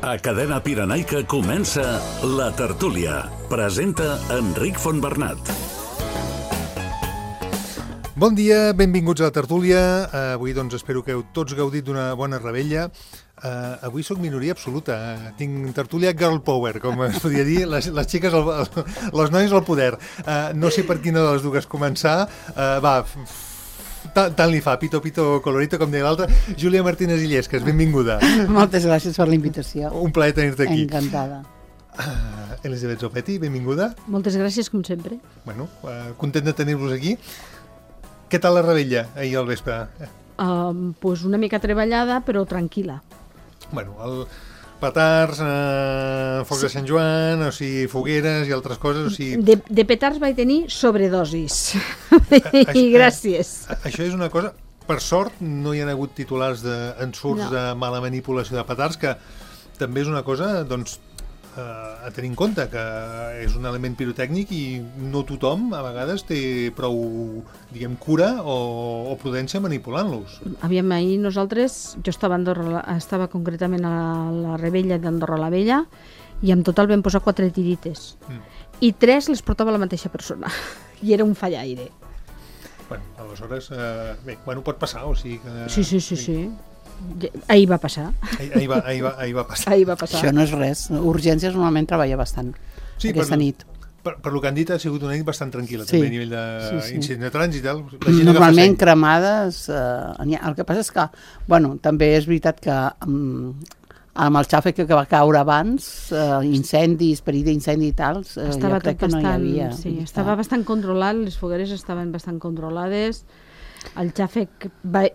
A Cadena Pirenaica comença La Tertúlia. Presenta Enric Fontbernat. Bon dia, benvinguts a La Tertúlia. Avui doncs espero que heu tots gaudit d'una bona revetlla. Avui sóc minoria absoluta. Tinc tertúlia girl power, com es podria dir, les xiques, les noies al poder. No sé per quina de les dues començar. Tant li fa, pito colorito, com deia l'altra. Júlia Martínez Illescas, benvinguda. Moltes gràcies per la invitació. Un plaer tenir-te aquí. Encantada. Elisabet Zopetti, benvinguda. Moltes gràcies, com sempre. Bueno, content de tenir-vos aquí. Què tal la revetlla ahir al vespre? Pues una mica treballada, però tranquil·la. Bueno, petards, focs de Sant Joan, o sigui, fogueres i altres coses, o sigui... De petards vaig tenir sobredosis. I gràcies. Això és una cosa... Per sort, no hi ha hagut titulars d'ensurts de mala manipulació de petards, que també és una cosa, doncs, a tenir en compte, que és un element pirotècnic i no tothom, a vegades, té prou, diguem, cura o prudència manipulant-los. Aviam, ahir nosaltres, jo estava concretament a la revetlla d'Andorra la Vella i en total vam posar 4 tirites. I 3 les portava la mateixa persona. I era un fallaire. Bueno, aleshores, pot passar, o sigui que... Sí. Ahir va passar. Ahir va passar. Ahir va passar. Això no és res. Urgències normalment treballa bastant aquesta nit. Per lo que han dit, ha sigut una nit bastant tranquil·la, també a nivell d'incident de trànsit i tal. Normalment cremades... el que passa és que, també és veritat que amb el xàfec que va caure abans, incendis, perill d'incendi i tal, jo crec que no hi havia. Sí, estava bastant controlat, les fogueres estaven bastant controlades. El xàfec,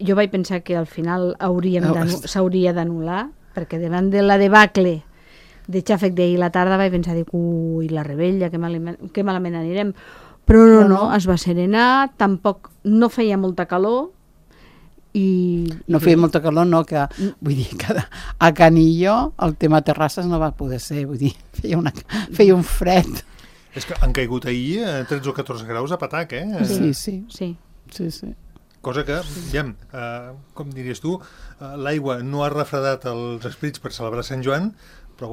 jo vaig pensar que al final s'hauria d'anul·lar, perquè davant de la debacle de xàfec d'ahir la tarda vaig pensar, ui, la revetlla, que malament anirem. Però no, es va serenar, tampoc no feia molta calor. No feia molta calor, no, que vull dir que a Canillo el tema terrasses no va poder ser, vull dir, feia un fred. És que han caigut ahir 13 o 14 graus a patac, Sí. Cosa que, com diries tu, l'aigua no ha refredat els esprits per celebrar Sant Joan, però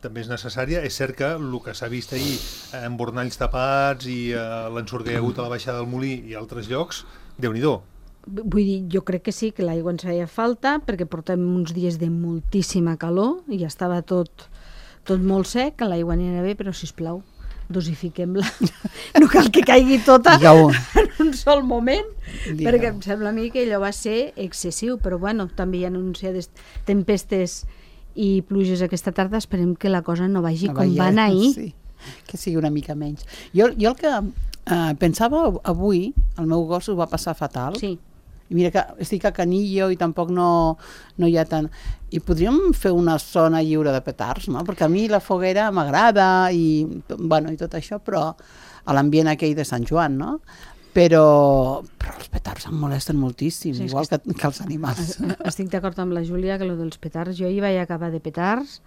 també és necessària. És cert que el que s'ha vist ahir amb bornalls tapats i l'ensurt que hi ha hagut a la baixada del Molí i altres llocs, Déu-n'hi-do. Vull dir, jo crec que sí, que l'aigua ens feia falta, perquè portem uns dies de moltíssima calor i estava tot molt sec, l'aigua anirà bé, però sisplau, dosifiquem-la. No cal que caigui tota en un sol moment, perquè em sembla a mi que allò va ser excessiu, però també hi ha anunciades tempestes i pluges aquesta tarda, esperem que la cosa no vagi com va anar ahir. Sí, que sigui una mica menys. Jo el que pensava avui, el meu gos ho va passar fatal. Sí. I mira que estic a Canillo i tampoc no hi ha tant... I podríem fer una zona lliure de petards, no? Perquè a mi la foguera m'agrada i tot això, però a l'ambient aquell de Sant Joan, no? Però els petards em molesten moltíssim, igual que els animals. Estic d'acord amb la Júlia que dels petards, jo hi vaig acabar de petards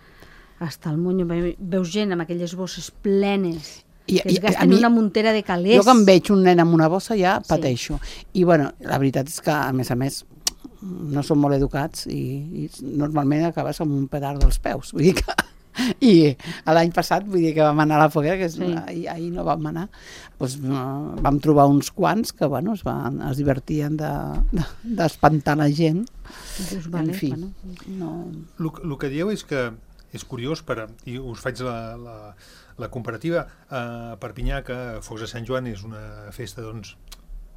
hasta el monyo, veus gent amb aquelles bosses plenes que es gasten una muntera de calés. Jo quan veig un nen amb una bossa ja pateixo. I la veritat és que a més no són molt educats i normalment acabes amb un petard dels peus. Vull dir que... I l'any passat, vull dir que vam anar a la foguera, que ahir no vam anar, vam trobar uns quants que es divertien d'espantar la gent. En fi. El que dieu és que és curiós, i us faig la comparativa, a Perpinyà, que Focs de Sant Joan és una festa,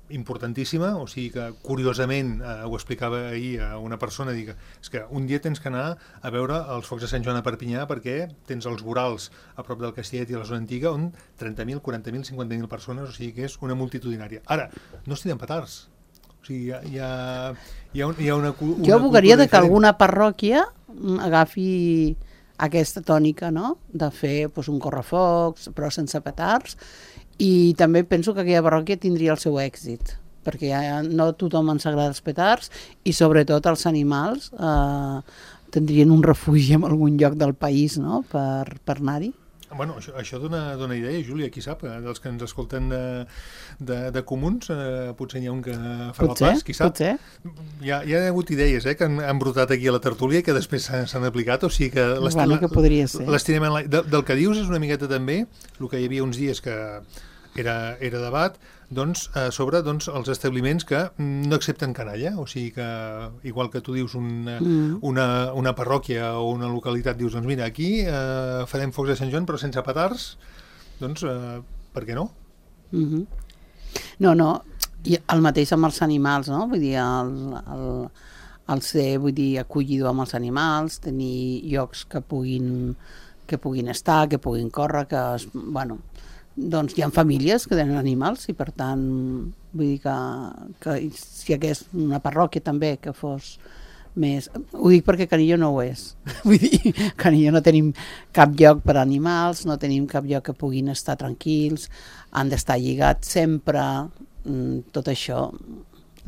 importantíssima, o sigui que curiosament ho explicava ahir a una persona, és que un dia tens que anar a veure els Focs de Sant Joan a Perpinyà perquè tens els vorals a prop del Castellet i a la zona antiga on 30.000, 40.000, 50.000 persones, o sigui que és una multitudinària. Ara, no es tiren petards, o sigui, hi ha una jo abogaria que alguna parròquia agafi aquesta tònica, no?, de fer un correfocs però sense petards. I també penso que aquella parròquia tindria el seu èxit, perquè no tothom ens agrada els petards i sobretot els animals tindrien un refugi en algun lloc del país, no?, per anar-hi. Bueno, això dona idea, Júlia, qui sap, dels que ens escolten de comuns, potser n'hi ha un que farà el pas, qui sap. Potser. Hi ha hagut idees que han brotat aquí a la tertúlia i que després s'han aplicat, o sigui que... Que podria ser. Del que dius és una miqueta també el que hi havia uns dies que era debat, doncs, sobre els establiments que no accepten canalla, o sigui que, igual que tu dius una parròquia o una localitat, dius, doncs mira, aquí farem focs de Sant Joan però sense petards, doncs per què no? No, i el mateix amb els animals, no? Vull dir, el ser, acollidor amb els animals, tenir llocs que puguin estar, que puguin córrer, doncs hi ha famílies que tenen animals i per tant vull dir que si hi hagués una parròquia també que fos més... Ho dic perquè Canillo no ho és. Vull dir, Canillo no tenim cap lloc per a animals, no tenim cap lloc que puguin estar tranquils, han d'estar lligats sempre, tot això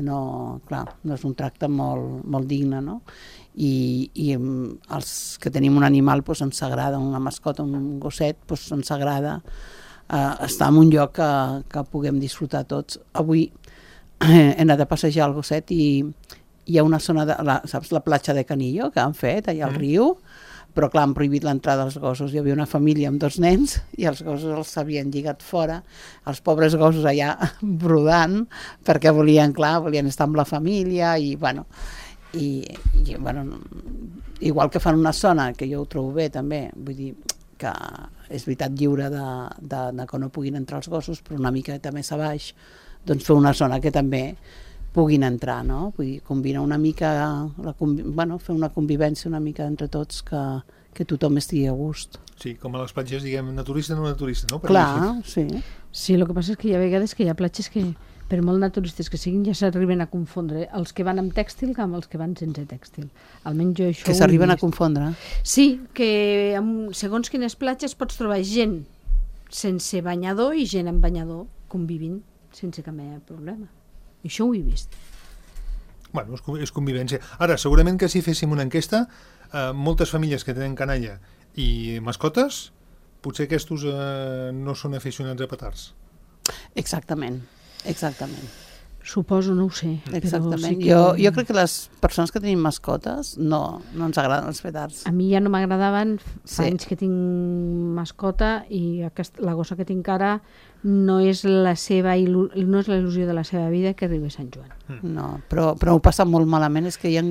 no és un tracte molt digne, no? I els que tenim un animal doncs ens agrada, una mascota, un gosset, doncs ens agrada estar en un lloc que puguem disfrutar tots. Avui he anat a passejar el gosset i hi ha una zona, saps la platja de Canillo que han fet allà al riu, però clar, han prohibit l'entrada dels gossos. Hi havia una família amb 2 nens i els gossos els havien lligat fora, els pobres gossos allà brodant perquè volien estar amb la família i igual que fan una zona que jo ho trobo bé també, vull dir que és veritat lliure de que no puguin entrar els gossos, però una mica també a baix, doncs fer una zona que també puguin entrar, no? Vull dir, combinar una mica, fer una convivència una mica entre tots que tothom estigui a gust. Sí, com a les platges, diguem, naturista no naturista, no? Clar, sí. Sí, el que passa és que hi ha vegades que hi ha platges que per molt naturistes que siguin ja s'arriben a confondre els que van amb tèxtil amb els que van sense tèxtil. Almenys jo això que s'arriben a confondre? Sí, que segons quines platges pots trobar gent sense banyador i gent amb banyador convivint sense cap mena de problema. Això ho he vist. Bueno, és convivència. Ara, segurament que si féssim una enquesta, moltes famílies que tenen canalla i mascotes, potser aquests no són aficionats a petards. Exactament. Suposo, no ho sé. Exactament. Sí que... jo crec que les persones que tenim mascotes no ens agraden els petards. A mi ja no m'agradaven, fa anys que tinc mascota i la gossa que tinc ara no és la il·lusió de la seva vida que arribi a Sant Joan. No, però ho passa molt malament, és que hi ha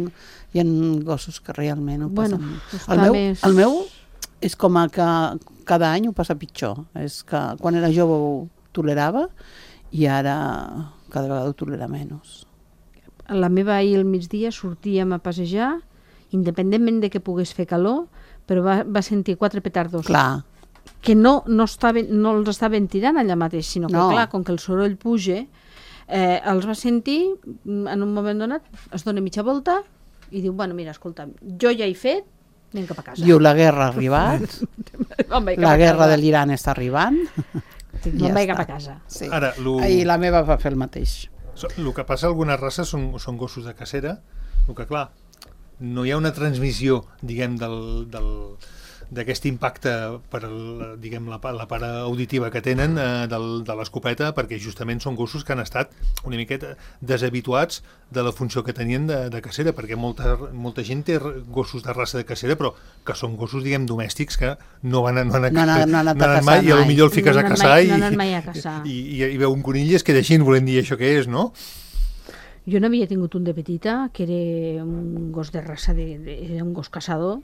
gossos que realment ho passen. El meu és com que cada any ho passa pitjor. És que quan era jove ho tolerava i ara cada vegada ho tolera menys. La meva ahir al migdia sortíem a passejar, independentment de que pogués fer calor, però va sentir 4 petardos. Clar. Que no els estaven tirant allà mateix, sinó que, clar, com que el soroll puja, els va sentir, en un moment donat, es dona mitja volta i diu, bueno, mira, escolta, jo ja he fet, anem cap a casa. Diu, la guerra ha arribat, la guerra de l'Iran està arribant... No vaig cap a casa. Sí. I la meva va fer el mateix. El que passa a algunes races són gossos de cacera, el que clar, no hi ha una transmissió, diguem, d'aquest impacte per la part auditiva que tenen de l'escopeta, perquè justament són gossos que han estat una miqueta deshabituats de la funció que tenien de cacera, perquè molta gent té gossos de raça de cacera, però que són gossos, diguem, domèstics que no han anat mai, i potser el fiques a caçar i veu un conill i es queda així, volem dir això que és, no? Jo n'havia tingut un de petita, que era un gos de raça, era un gos caçador.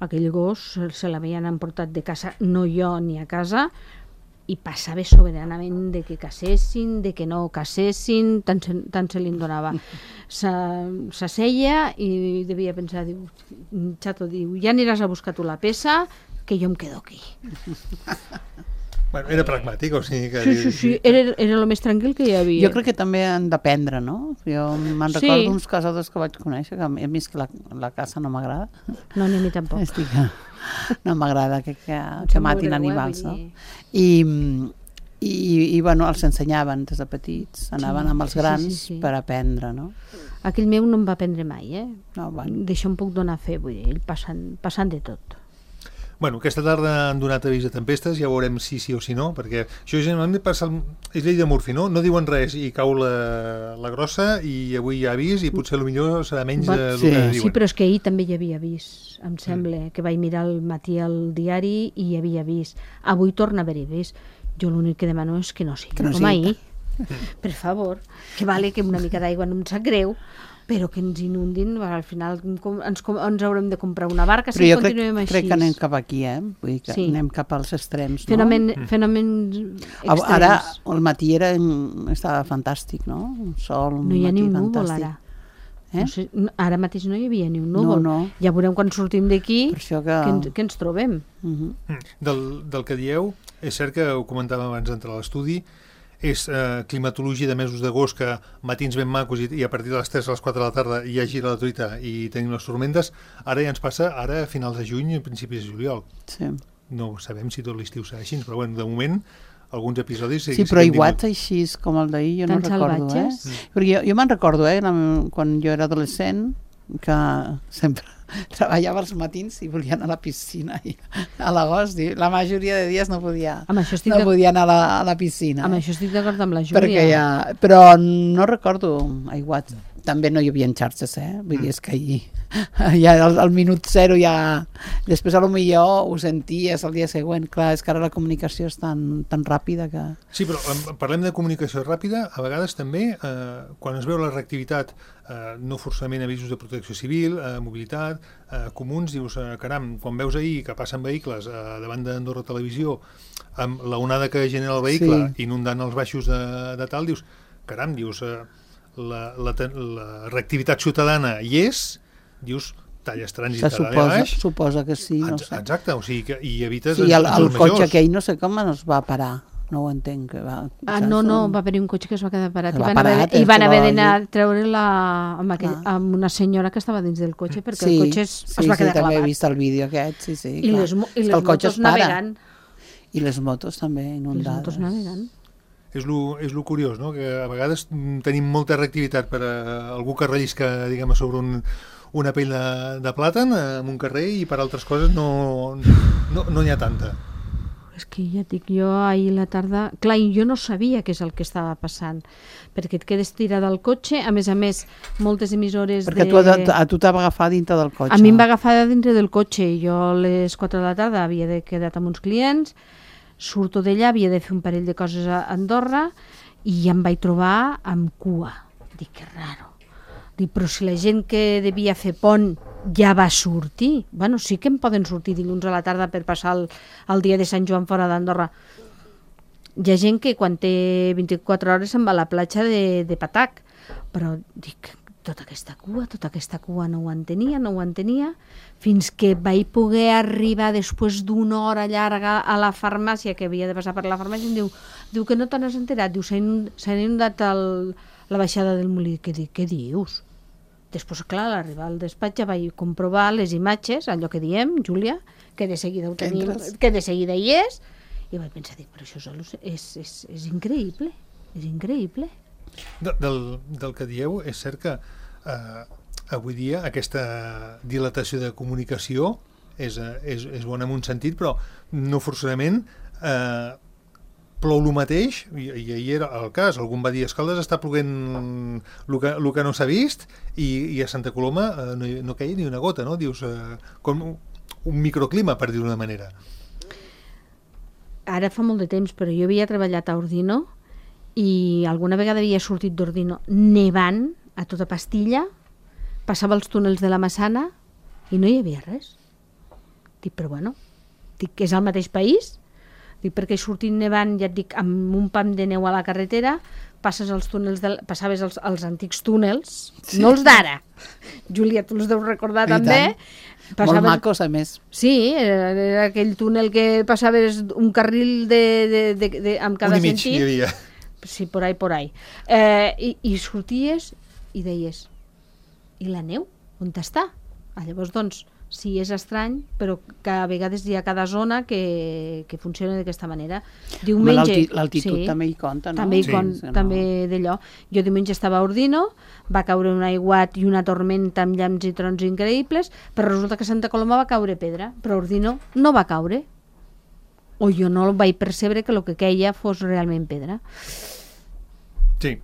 Aquell gos se l'havien emportat de casa, no jo ni a casa, i passava soberanament de que caçessin, de que no caçessin, tant se li en donava. S'asseia i devia pensar, diu, xato, diu, ja aniràs a buscar tu la peça, que jo em quedo aquí. Bueno, era pragmàtic, o sigui que... Sí, era el més tranquil que hi havia. Jo crec que també han d'aprendre, no? Jo me'n recordo uns caçadors que vaig conèixer, que a mi és que la caça no m'agrada. No, ni a mi tampoc. No m'agrada que matin animals, no? I bueno, els ensenyaven des de petits, anaven amb els grans per aprendre, no? Aquell meu no em va aprendre mai, No, bueno. D'això em puc donar fe, vull dir, passant de tot. Bueno, aquesta tarda han donat avís de tempestes, ja veurem si sí o si no, perquè això generalment passa, és llei de Murphy, no? No diuen res i cau la grossa i avui hi ha avís i potser potser serà menys del que diuen. Sí, però és que ahir també hi havia avís, em sembla, que vaig mirar al matí al diari i hi havia avís. Avui torna a haver-hi avís. Jo l'únic que demano és que no sigui com ahir. Per favor, que vale que una mica d'aigua no em sap greu, però que ens inundin, al final ens haurem de comprar una barca si continuem així. Però jo crec que anem cap aquí, vull dir que anem cap als extrems, no? Fenòmens extrems. Ara, el matí estava fantàstic, no? Un sol, un matí fantàstic. No hi ha ni un núvol, ara. No sé, ara mateix no hi havia ni un núvol. Ja veurem quan sortim d'aquí que ens trobem. Del que dieu, és cert que ho comentàvem abans d'entrar a l'estudi, és climatologia de mesos d'agost, que matins ben macos i a partir de les 3 a les 4 de la tarda hi ha gira la truita i tenim les tormentes. Ara ja ens passa a finals de juny i principis de juliol. Sí. No sabem si tot l'estiu serà així, però bueno, de moment alguns episodis... Sí, però iguals així com el d'ahir, jo no recordo. Perquè jo me'n recordo, quan jo era adolescent, que sempre treballava els matins i volia anar a la piscina i a l'agost, la majoria de dies no podia anar a la piscina. Amb això estic d'acord amb la Júlia. Però no recordo aiguats. També no hi havia xarxes, vull dir, és que ja al minut 0 ja... Després potser ho senties el dia següent. Clar, és que ara la comunicació és tan ràpida que... Sí, però parlem de comunicació ràpida, a vegades també, quan es veu la reactivitat, no forçament avisos de protecció civil, mobilitat, comuns, dius, caram, quan veus ahir que passen vehicles davant d'Andorra Televisió, amb l'onada que genera el vehicle, inundant els baixos de tal, dius, caram, dius... La reactivitat ciutadana hi és, dius, talles trànsit a baix. Suposa que sí, no sé. Exacte, o sigui, i evites... Sí, el cotxe aquell no sé com es va parar, no ho entenc. No, va haver un cotxe que es va quedar parat i van haver d'anar a treure-la amb una senyora que estava dins del cotxe, perquè el cotxe es va quedar clavat. Sí, també he vist el vídeo aquest, sí. I les motos navegant. I les motos també inundades. Les motos navegant. És lo curiós, no? Que a vegades tenim molta reactivitat per a algú que rellisca, diguem, sobre una pell de plàtan en un carrer i per altres coses no n'hi ha tanta. És que ja et dic, jo ahir a la tarda... Clar, jo no sabia què és el que estava passant, perquè et quedes tirada al cotxe, a més, moltes emissores perquè a tu t'ha agafat dintre del cotxe. A mi em va agafar dintre del cotxe, jo a les 4 de la tarda havia quedat amb uns clients, surto d'allà, havia de fer un parell de coses a Andorra i em vaig trobar amb cua. Dic, que raro. Dic, però si la gent que devia fer pont ja va sortir. Bueno, sí que en poden sortir dilluns a la tarda per passar el dia de Sant Joan fora d'Andorra. Hi ha gent que quan té 24 hores se'n va a la platja de Patac. Però dic, tota aquesta cua no ho entenia, fins que vaig poder arribar després d'una hora llarga a la farmàcia, que havia de passar per la farmàcia, i em diu que no te n'has enterat, diu, s'ha inundat la baixada del Molí. Què dius? Després, clar, a l'arribar al despatx ja vaig comprovar les imatges, allò que diem, Júlia, que de seguida ho tenim, que de seguida hi és, i vaig pensar, però això és increïble, és increïble. Del que dieu, és cert que avui dia aquesta dilatació de comunicació és bona en un sentit, però no forçosament plou el mateix, i ahir era el cas, algun va dir, Escaldes està ploguent el que no s'ha vist, i a Santa Coloma no queia ni una gota, no? Dius, com un microclima, per dir-ho d'una manera. Ara fa molt de temps, però jo havia treballat a Ordino, i alguna vegada havia sortit d'Ordino nevant a tota pastilla, passava els túnels de la Massana i no hi havia res. Dic, però bueno, que és el mateix país, dic, perquè sortint nevant, ja et dic, amb un pam de neu a la carretera, passaves els antics túnels, sí. No els d'ara. Júlia, tu els deus recordar també. Molt macos, a més. Sí, era aquell túnel que passaves un carril amb cada sentit. Un i mig hi havia. Sí, por ahí. I sorties i deies, i la neu? On està? Llavors, doncs, Sí, és estrany, però que a vegades hi ha cada zona que funciona d'aquesta manera. Diumenge... L'altitud també hi compta, no? També també d'allò. Jo diumenge estava a Ordino, va caure un aiguat i una tormenta amb llamps i trons increïbles, però resulta que a Santa Coloma va caure pedra, però a Ordino no va caure. O jo no vaig percebre que el que queia fos realment pedra. Sí.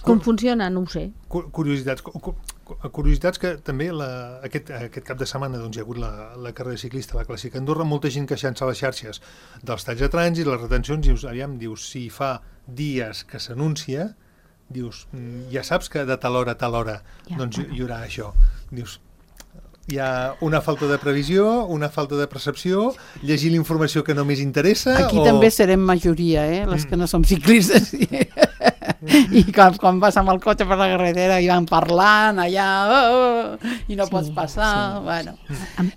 Com funciona? No ho sé. Curiositats que també aquest cap de setmana doncs, hi ha hagut la carrera ciclista, la Clàssica Andorra, molta gent queixant-se a les xarxes dels talls de trànsit, les retencions, dius, si fa dies que s'anuncia, dius, ja saps que de tal hora a tal hora doncs hi haurà això. Dius, hi ha una falta de previsió, una falta de percepció, llegir la informació que només interessa... Aquí també serem majoria, les que no som ciclistes. I quan vas amb el cotxe per la carretera i van parlant allà i no pots passar, bueno.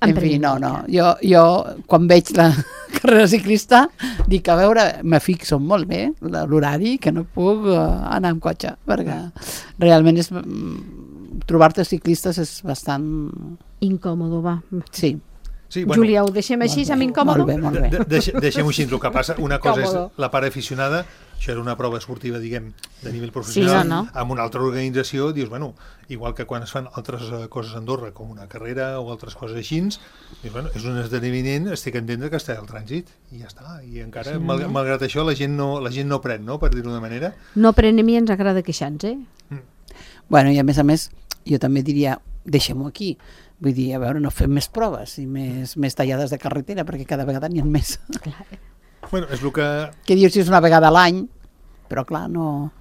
En fi, no. Jo quan veig la carrera ciclista dic, a veure, me fixo molt bé l'horari, que no puc anar amb cotxe, perquè realment és... trobar-te ciclistes és bastant... Incòmodo, va. Sí. Júlia, ho deixem així, amb incòmodo? Molt bé. Deixem-ho així, el que passa, una cosa és la part aficionada, això era una prova esportiva, diguem, de nivell professional, amb una altra organització, dius, bueno, igual que quan es fan altres coses a Andorra, com una carrera o altres coses així, dius, bueno, és un esdeveniment, estic a entendre que està al trànsit, i ja està, i encara, malgrat això, la gent no pren, no?, per dir-ho d'una manera. No pren, a mi ens agrada queixar-nos, Bueno, i a més, jo també diria, deixem-ho aquí. Vull dir, a veure, no fem més proves i més tallades de carretera, perquè cada vegada n'hi ha més. Bueno, és el que... Que dius si és una vegada a l'any, però clar, no...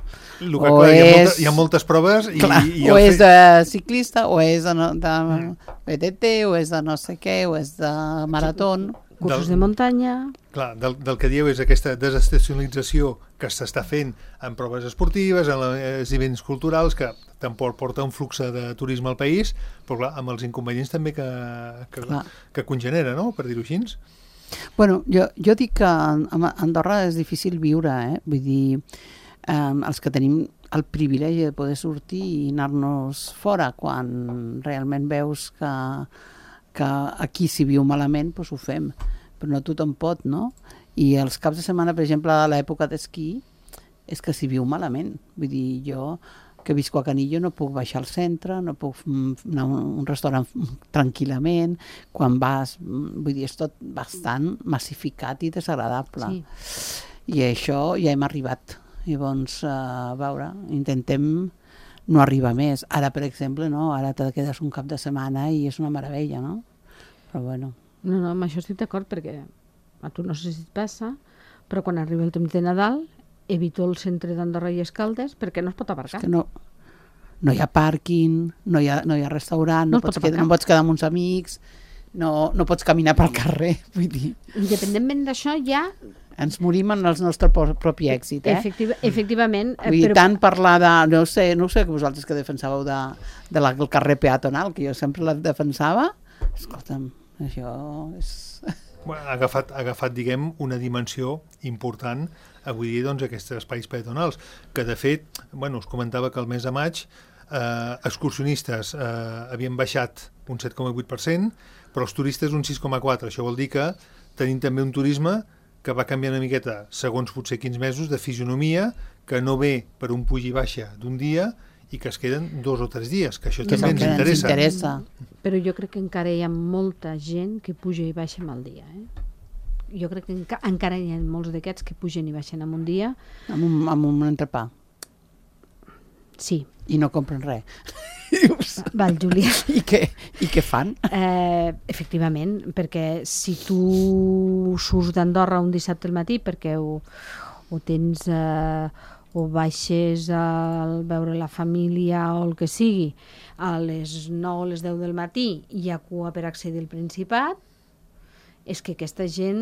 Hi ha moltes proves i o és de ciclista, o és de BTT, o és de no sé què, o és de marató... Cursos de muntanya... Clar, del que dieu és aquesta desestacionalització que s'està fent en proves esportives, en els events culturals, que tampoc porta un flux de turisme al país, però clar, amb els inconvenients també que congenera, no?, per dir-ho així. Bueno, jo dic que a Andorra és difícil viure, vull dir, els que tenim el privilegi de poder sortir i anar-nos fora quan realment veus que aquí si viu malament, doncs ho fem, però no tothom pot, no? I els caps de setmana, per exemple, a l'època d'esquí, és que s'hi viu malament. Vull dir, jo que visco a Canillo no puc baixar al centre, no puc anar a un restaurant tranquil·lament, quan vas, vull dir, és tot bastant massificat i desagradable. I això ja hem arribat. Llavors, a veure, intentem no arriba més. Ara, per exemple, no? Ara te quedes un cap de setmana i és una meravella, no? Però bueno. No, amb això estic d'acord, perquè a tu no sé si et passa, però quan arriba el temps de Nadal evito el centre d'Andorra i Escaldes perquè no es pot aparcar. És que no hi ha pàrquing, no hi ha restaurant, no pots quedar amb uns amics, no pots caminar pel carrer, vull dir. Independentment d'això, ja... Ens morim en el nostre propi èxit, Efectivament. Vull dir, tant parlar de... No sé que vosaltres que defensàveu del carrer peatonal, que jo sempre la defensava, escolta'm, això és... Ha agafat, diguem, una dimensió important avui dia, doncs, aquests espais peatonals, que de fet, bueno, us comentava que el mes de maig excursionistes havien baixat un 7,8%, però els turistes un 6,4%. Això vol dir que tenim també un turisme que va canviar una miqueta, segons potser 15 mesos, de fisionomia, que no ve per un puig i baixa d'un dia i que es queden 2 o 3 dies, que això també ens interessa. Però jo crec que encara hi ha molta gent que puja i baixa en el dia. Jo crec que encara hi ha molts d'aquests que pugen i baixen en un dia. Amb un entrepà. Sí. I no compren res. Val, Júlia. I què fan? Efectivament, perquè si tu surts d'Andorra un dissabte al matí perquè o tens o baixes a veure la família o el que sigui a les 9 o les 10 del matí hi ha cua per accedir al Principat, és que aquesta gent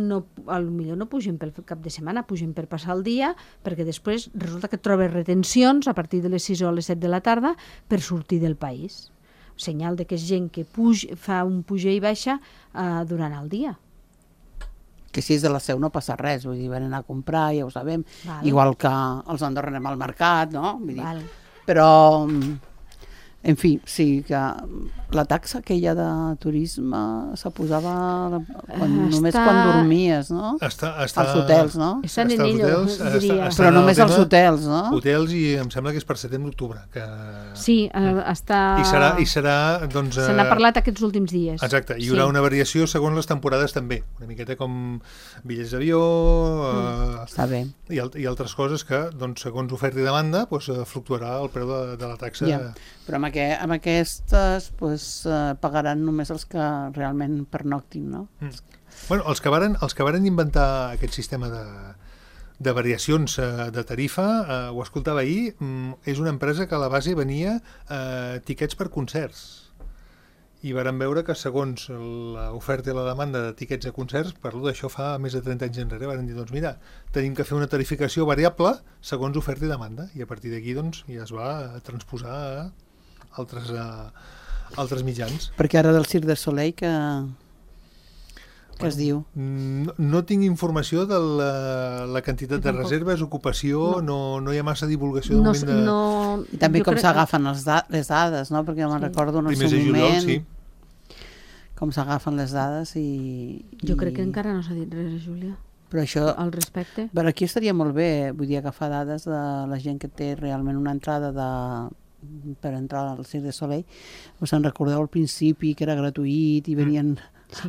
potser no pugen pel cap de setmana, pugen per passar el dia, perquè després resulta que trobes retencions a partir de les 6 o les 7 de la tarda per sortir del país. Senyal de que és gent que fa un puja i baixa durant el dia. Que si és de la Seu no passa res, vull dir, van anar a comprar, ja ho sabem, igual que els Andorra anem al mercat, no? Vull dir, però En fi, sí, que la taxa aquella de turisme se posava només quan dormies, no? Als hotels, no? És en Enello, diria. Però només als hotels, no? Hotels, i em sembla que és per setembre-octubre. Sí, està... I serà, doncs... Se n'ha parlat aquests últims dies. Exacte, hi haurà una variació segons les temporades també. Una miqueta com bitllets d'avió... Està bé. I altres coses que, doncs, segons oferta i demanda, fluctuarà el preu de la taxa. Ja. Però amb aquestes pagaran només els que realment pernoctin, no? Bueno, els que varen inventar aquest sistema de variacions de tarifa, ho escoltava ahir, és una empresa que a la base venia tiquets per concerts. I varen veure que segons l'oferta i la demanda de tiquets a concerts, parlo d'això fa més de 30 anys enrere, varen dir, doncs mira, tenim que fer una tarificació variable segons oferta i demanda, i a partir d'aquí doncs, ja es va transposar a altres mitjans. Perquè ara del Cirque du Soleil que es diu? No tinc informació de la quantitat de reserves, ocupació, no hi ha massa divulgació. I també com s'agafen les dades, no? Perquè me'n recordo en el seu moment com s'agafen les dades i... Jo crec que encara no s'ha dit res, Júlia. Però això, al respecte. Però aquí estaria molt bé, vull dir, agafar dades de la gent que té realment una entrada per entrar al Cirque du Soleil. Us en recordeu al principi que era gratuït i venien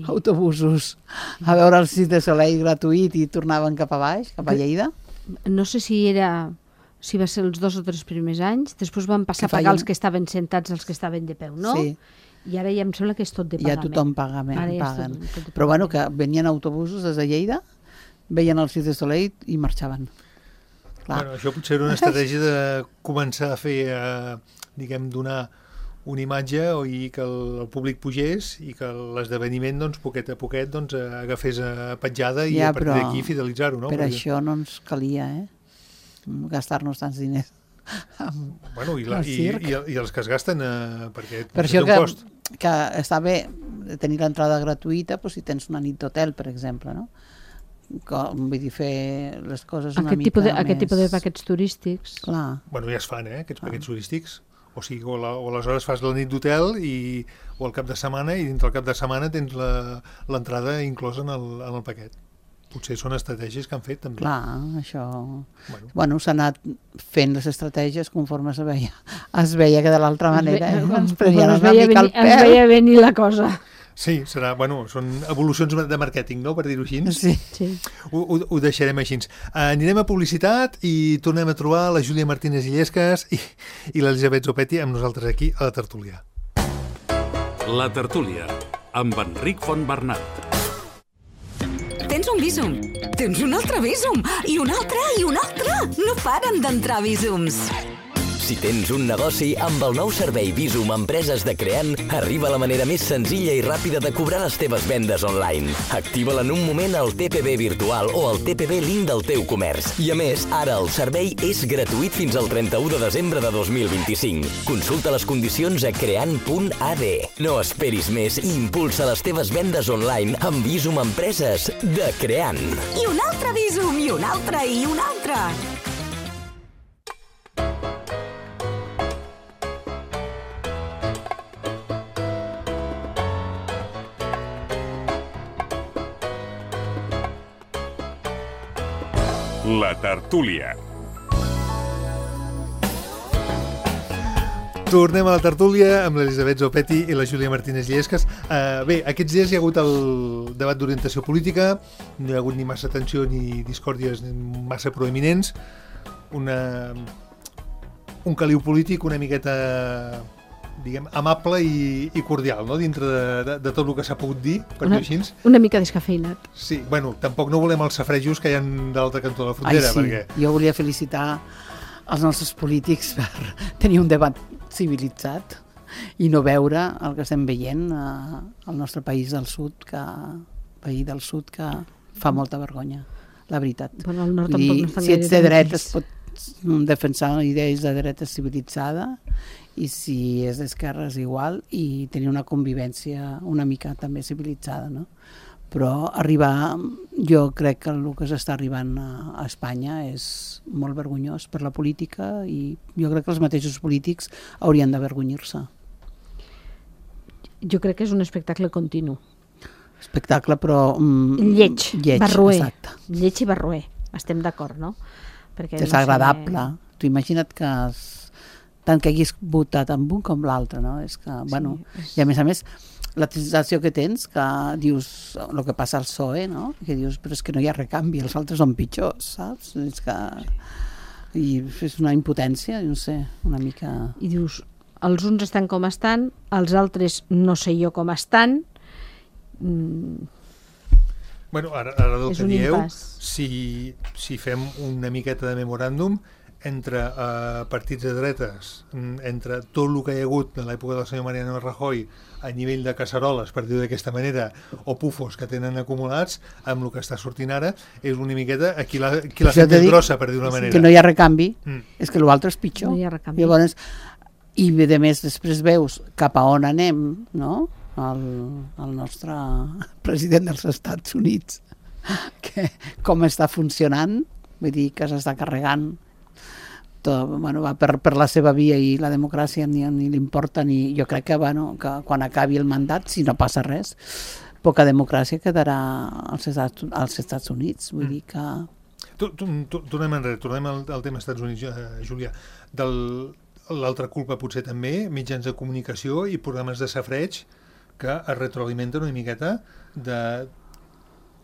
autobusos a veure el Cirque du Soleil gratuït i tornaven cap a baix, cap a Lleida? No sé si va ser els 2 o 3 primers anys, després van passar a pagar els que estaven sentats, els que estaven de peu, no? Sí. I ara ja em sembla que és tot de pagament. Ja tothom paguen. Però bueno, que venien autobusos des de Lleida, veien el Cirque du Soleil i marxaven. Bueno, això potser era una estratègia de començar a fer, diguem, donar una imatge i que el públic pugés i que l'esdeveniment, doncs, poquet a poquet, doncs, agafés petjada i a partir d'aquí fidelitzar-ho, no? Per això no ens calia, gastar-nos tants diners. Bueno, i els que es gasten, perquè per això que està bé tenir l'entrada gratuïta, però si tens una nit d'hotel, per exemple, no? Vull dir, fer les coses una mica més... Aquest tipus de paquets turístics. Clar. Bueno, ja es fan, aquests paquets turístics. O sigui, o aleshores fas la nit d'hotel o el cap de setmana, i dintre el cap de setmana tens l'entrada inclosa en el paquet. Potser són estratègies que han fet, també. Clar, això... Bueno, s'ha anat fent les estratègies conforme es veia que de l'altra manera ens prenien una mica el pèl. Es veia venir la cosa. Sí, són evolucions de màrqueting, no?, per dir-ho així. Sí. Ho deixarem així. Anirem a publicitat i tornem a trobar la Júlia Martínez Illescas i l'Elisabet Zopetti amb nosaltres aquí a la tertúlia. La tertúlia, amb Enric Fontbernat. Tens un Bizum, tens un altre Bizum, i un altre, i un altre. No paren d'entrar Bizums. Si tens un negoci, amb el nou servei Bizum Empreses de Creant, arriba la manera més senzilla i ràpida de cobrar les teves vendes online. Activa-la en un moment al TPB virtual o al TPB Link del teu comerç. I a més, ara el servei és gratuït fins al 31 de desembre de 2025. Consulta les condicions a creant.ad. No esperis més i impulsa les teves vendes online amb Bizum Empreses de Creant. I un altre Bizum, i un altre, i un altre. La tertúlia. Tornem a la tertúlia amb l'Elisabet Zopetti i la Júlia Martínez Illescas. Bé, aquests dies hi ha hagut el debat d'orientació política, no hi ha hagut ni massa tensió ni discòrdies massa proeminents, un caliu polític una miqueta, diguem, amable i cordial, no?, dintre de tot el que s'ha pogut dir, per dir així. Una mica descafeinat. Sí, bueno, tampoc no volem els safrejos que hi ha de l'altre cantó de la frontera. Ai, sí, perquè... Jo volia felicitar els nostres polítics per tenir un debat civilitzat i no veure el que estem veient al nostre país del sud, país del sud que fa molta vergonya, la veritat. Bueno, el nord tampoc no estan si ets de dretes pots defensar idees de dreta civilitzada, i si és d'esquerres igual, i tenir una convivència una mica també civilitzada, no? però arribar, jo crec que el que s'està arribant a Espanya és molt vergonyós per la política i jo crec que els mateixos polítics haurien d'avergonyir-se. Jo crec que és un espectacle continu. Espectacle, però... Lleig, barroer. Exacte. Lleig i barroer, estem d'acord, no? Perquè Desagradable. Tu imagina't que tant que haguis votat amb un com l'altre, no? És que, bueno, i a més, la sensació que tens, que dius el que passa al PSOE, no? Que dius, però és que no hi ha recanvi, els altres són pitjors, saps? És que... I és una impotència, no sé, una mica... I dius, els uns estan com estan, els altres no sé jo com estan. Bueno, ara del que dieu, si fem una miqueta de memoràndum, entre partits de dretes, entre tot el que hi ha hagut de l'època del senyor Mariano Rajoy a nivell de casseroles, per dir-ho d'aquesta manera, o pufos que tenen acumulats, amb el que està sortint ara, és una miqueta qui l'ha fet més grossa, per dir-ho d'una manera. Que no hi ha recanvi, és que l'altre és pitjor. No hi ha recanvi. Llavors, i a més després veus cap a on anem, no? El nostre president dels Estats Units, que com està funcionant, vull dir que s'està carregant tot, bueno, va per la seva via i la democràcia ni li importa, ni jo crec que, bueno, que quan acabi el mandat, si no passa res, poca democràcia quedarà als Estats Units, vull dir que... Tornem enrere, tornem al tema Estats Units, Júlia. L'altra culpa potser també, mitjans de comunicació i programes de safareig que es retroalimenten una miqueta de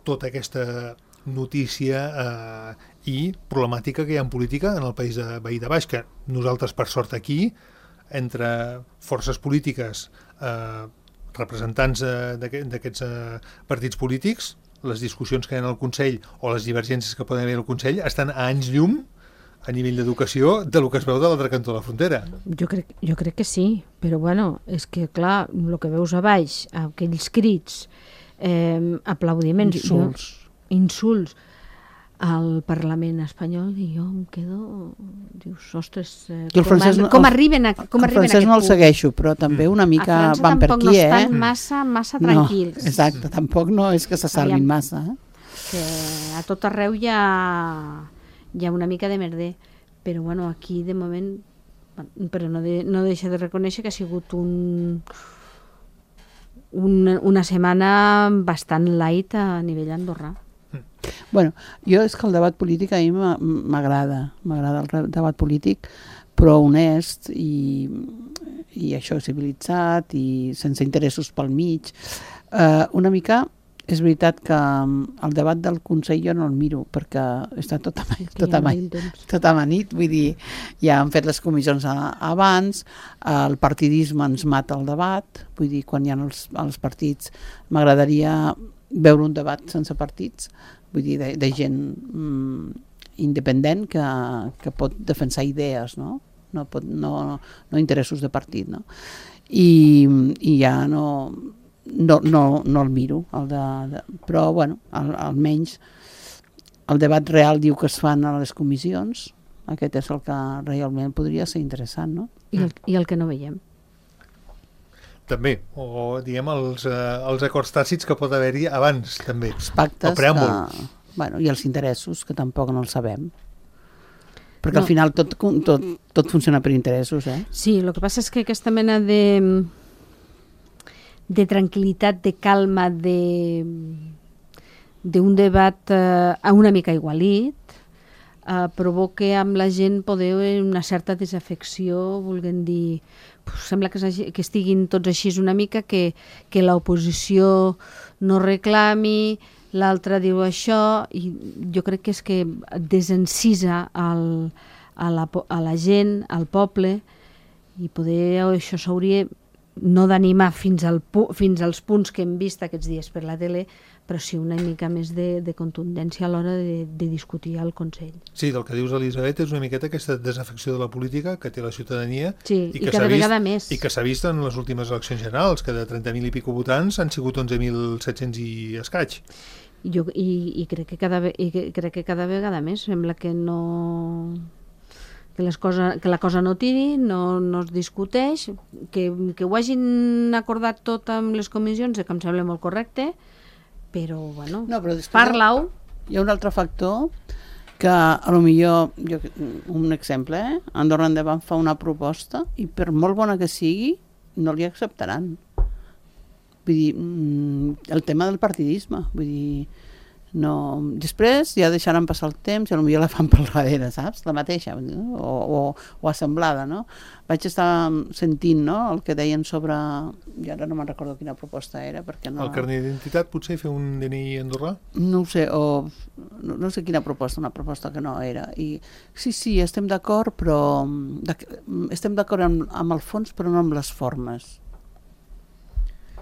tota aquesta notícia i problemàtica que hi ha en política en el país de veí de baix, que nosaltres, per sort, aquí, entre forces polítiques, representants d'aquests partits polítics, les discussions que hi ha al Consell o les divergències que poden haver al Consell estan a anys llum a nivell d'educació del que es veu de l'altre cantó de la frontera. Jo crec que sí, però bueno, és que clar, el que veus a baix, aquells crits, aplaudiments, insults al Parlament espanyol, i jo em quedo, dius, ostres, com arriben a aquest punt? El francès no el segueixo, però també una mica van per aquí, no estan massa tranquils. No, exacte, tampoc no és que se salvin massa. Que a tot arreu hi ha una mica de merder, però bueno, aquí de moment, però no deixa de reconèixer que ha sigut una setmana bastant light a nivell andorrà. Bueno, jo és que el debat polític a mi m'agrada el debat polític, però honest i això civilitzat i sense interessos pel mig. Una mica és veritat que el debat del Consell jo no el miro perquè està tot amanit, vull dir, ja han fet les comissions abans, el partidisme ens mata el debat, vull dir, quan hi ha els partits m'agradaria veure un debat sense partits, vull dir, de gent independent que pot defensar idees, no interessos de partit, no? I ja no el miro, però bueno, almenys el debat real diu que es fan a les comissions, aquest és el que realment podria ser interessant, no? I el que no veiem. També, o diguem els acords tàcits que pot haver-hi abans, també. Els pactes, i els interessos, que tampoc no els sabem. Perquè al final tot funciona per interessos, eh? Sí, el que passa és que aquesta mena de tranquil·litat, de calma, d'un debat una mica igualit, provoca amb la gent poder una certa desafecció, volguem dir, sembla que estiguin tots així una mica, que l'oposició no reclami, l'altre diu això, i jo crec que és que desencisa a la gent, al poble, i poder això s'hauria no d'animar fins als punts que hem vist aquests dies per la tele, però sí una mica més de contundència a l'hora de discutir al Consell. Sí, del que dius, Elisabet, és una miqueta aquesta desafecció de la política que té la ciutadania i cada vegada més. I que s'ha vist en les últimes eleccions generals, que de 30.000 i pico votants han sigut 11.700 i escaig. I crec que cada vegada més sembla que no... que la cosa no tiri, no es discuteix, que ho hagin acordat tot amb les comissions, que em sembla molt correcte, però, bueno, No, però després parla-ho. Hi ha un altre factor que a lo millor, un exemple, Andorra Endavant fa una proposta i per molt bona que sigui no li acceptaran. Vull dir, el tema del partidisme, vull dir, no... Després ja deixaran passar el temps i potser la fan pel darrere, saps? La mateixa, o assemblada, no? Vaig estar sentint, no?, el que deien sobre... I ara no me'n recordo quina proposta era, perquè no... El carnet d'identitat, potser, fer un DNI andorrà? No ho sé, o... No sé quina proposta, una proposta que no era. I sí, estem d'acord, però... Estem d'acord amb el fons, però no amb les formes.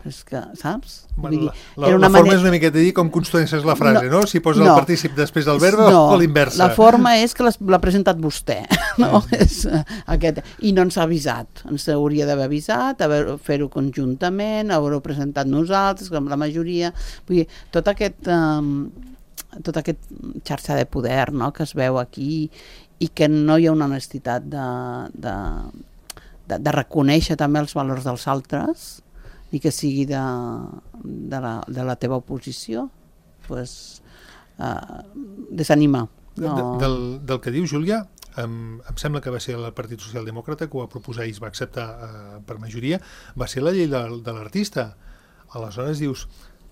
És que, saps? Bueno, la forma és una miqueta dir com construeixes la frase, no? Si poses el partícip després del verbe o l'inversa. La forma és que l'ha presentat vostè, no? És aquest. I no ens ha avisat. Ens hauria d'haver avisat, fer-ho conjuntament, haver-ho presentat nosaltres, amb la majoria. Vull dir, tot aquest xarxa de poder, no?, que es veu aquí i que no hi ha una honestitat de reconèixer també els valors dels altres i que sigui de la teva oposició, doncs desanimar. No. Del que diu Júlia, em sembla que va ser el Partit Socialdemòcrata que ho va proposar i es va acceptar per majoria, va ser la llei de l'artista. Aleshores dius,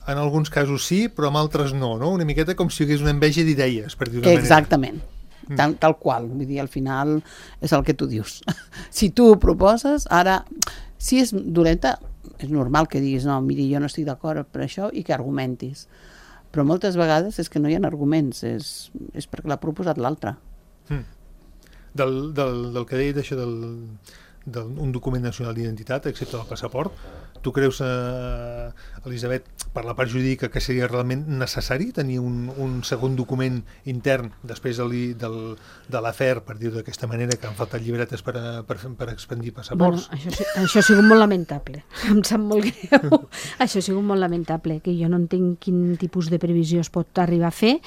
en alguns casos sí, però en altres no? Una miqueta com si hi hagués una enveja d'idees, per dir-ho d'una manera. Exactament. Tal qual, vull dir, al final és el que tu dius. Si tu ho proposes, ara, si és dolenta, és normal que diguis, no, miri, jo no estic d'acord per això i que argumentis. Però moltes vegades és que no hi ha arguments, és perquè l'ha proposat l'altre. Del que deia d'això d'un document nacional d'identitat, excepte el passaport, tu creus, Elisabet, per la part jurídica, que seria realment necessari tenir un segon document intern després de l'afer, per dir-ho d'aquesta manera, que han faltat llibretes per expandir passaports? Bueno, això ha sigut molt lamentable. Em sap molt greu. Això ha sigut molt lamentable, que jo no entenc quin tipus de previsió es pot arribar a fer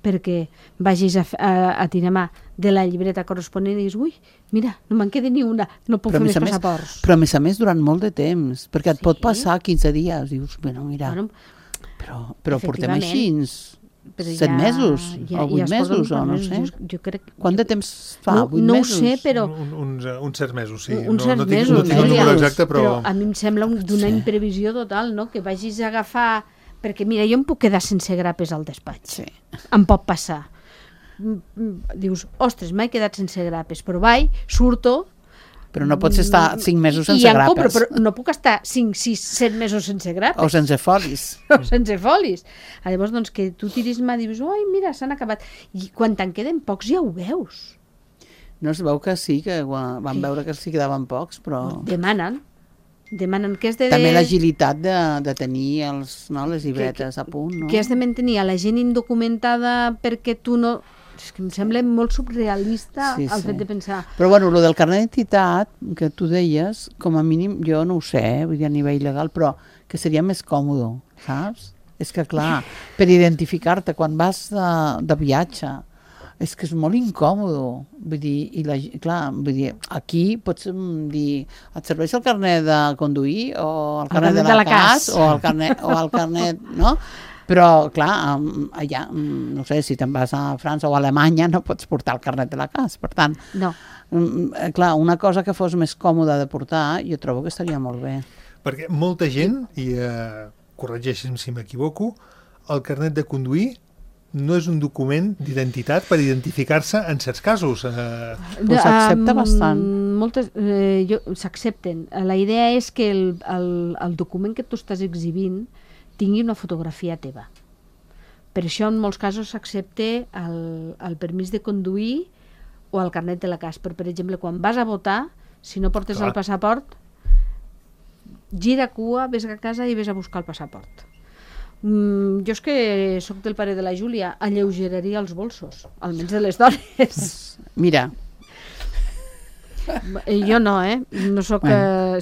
perquè vagis a tirar mà de la llibreta corresponent i diguis, ui, mira, no me'n queda ni una, no puc fer més passaports. Però a més durant molt de temps, perquè et pot passar 15 dies, dius, bueno, mira, però portem així 7 mesos o 8 mesos, o no sé. Quant de temps fa? 8 mesos? No ho sé, però... Uns certs mesos, sí. Uns certs mesos. No tinc el número exacte, però... a mi em sembla d'una imprevisió total, no?, que vagis a agafar... Perquè, mira, jo em puc quedar sense grapes al despatx. Sí. Em pot passar. Dius, ostres, m'he quedat sense grapes, però surto... Però no pots estar 5 mesos sense grapes. Compro, però no puc estar 5, 6, 7 mesos sense grapes. O sense folis. O sense folis. Llavors, doncs, que tu tiris mà i dius, oi, mira, s'han acabat. I quan te'n queden pocs ja ho veus. No es veu que sí, que van veure que sí quedaven pocs, però... Demanen que has de... També l'agilitat de tenir les llibretes a punt, no? Que has de mantenir a la gent indocumentada perquè tu no... És que em sembla molt surrealista el fet de pensar... Però bueno, el del carnet d'identitat que tu deies, com a mínim, jo no ho sé, vull dir a nivell legal, però que seria més còmode, saps? És que clar, per identificar-te quan vas de viatge, és que és molt incòmode, vull dir, vull dir, aquí pots dir, et serveix el carnet de conduir o el carnet de la CAS o el carnet, no? Però, clar, allà, no sé, si te'n vas a França o a Alemanya no pots portar el carnet de la CAS, per tant, clar, una cosa que fos més còmoda de portar, jo trobo que estaria molt bé. Perquè molta gent, i corregeixi'm si m'equivoco, el carnet de conduir no és un document d'identitat per identificar-se en certs casos. S'accepta bastant. S'accepten. La idea és que el document que tu estàs exhibint tingui una fotografia teva. Per això en molts casos s'accepta el permís de conduir o el carnet de la CAS. Però, per exemple, quan vas a votar, si no portes el passaport, gira cua, ves a casa i ves a buscar el passaport. Jo és que sóc del pare de la Júlia, alleugeraria els bolsos, almenys de les dones. Mira. Jo no, no sóc...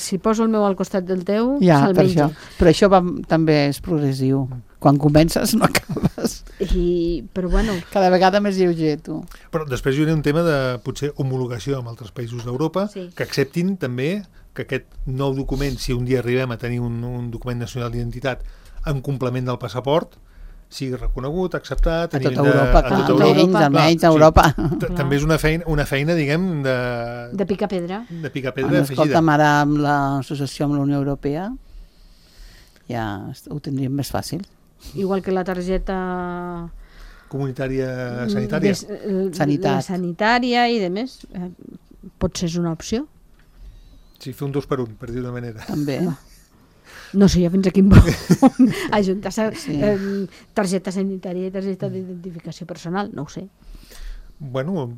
Si poso el meu al costat del teu, se'l menja. Però això també és progressiu. Quan comences no acabes. Però bueno... Cada vegada més lleuger, tu. Però després hi haurà un tema de, potser, homologació amb altres països d'Europa, que acceptin també que aquest nou document, si un dia arribem a tenir un document nacional d'identitat en complement del passaport, sigui reconegut, acceptat... A tota Europa, clar, almenys a Europa. També és una feina, diguem, de picar pedra. De picar pedra afegida. Escolta'm, ara amb l'associació amb la Unió Europea ja ho tindríem més fàcil. Igual que la targeta... comunitària sanitària. Sanitat. Sanitària i de més. Potser és una opció. Sí, fer un 2 per 1, per dir d'una manera. També. No sé jo fins a quin punt ajuntar targeta sanitària i targeta d'identificació personal, no ho sé. Bueno,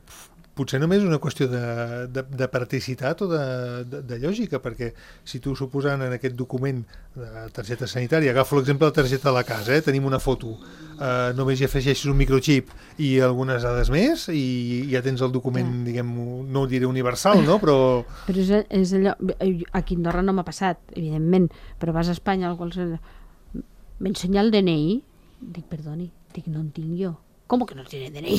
potser només és una qüestió de practicitat o de lògica, perquè si tu suposant en aquest document de targeta sanitària, agafo l'exemple de la targeta de la casa, tenim una foto, només hi afegeixes un microxip i algunes dades més i ja tens el document, diguem, no ho diré universal, no? Però és allò, aquí a Andorra no m'ha passat, evidentment, però vas a Espanya, m'ensenya el DNI? Dic, perdoni, no en tinc jo. Com que no tiene DNI?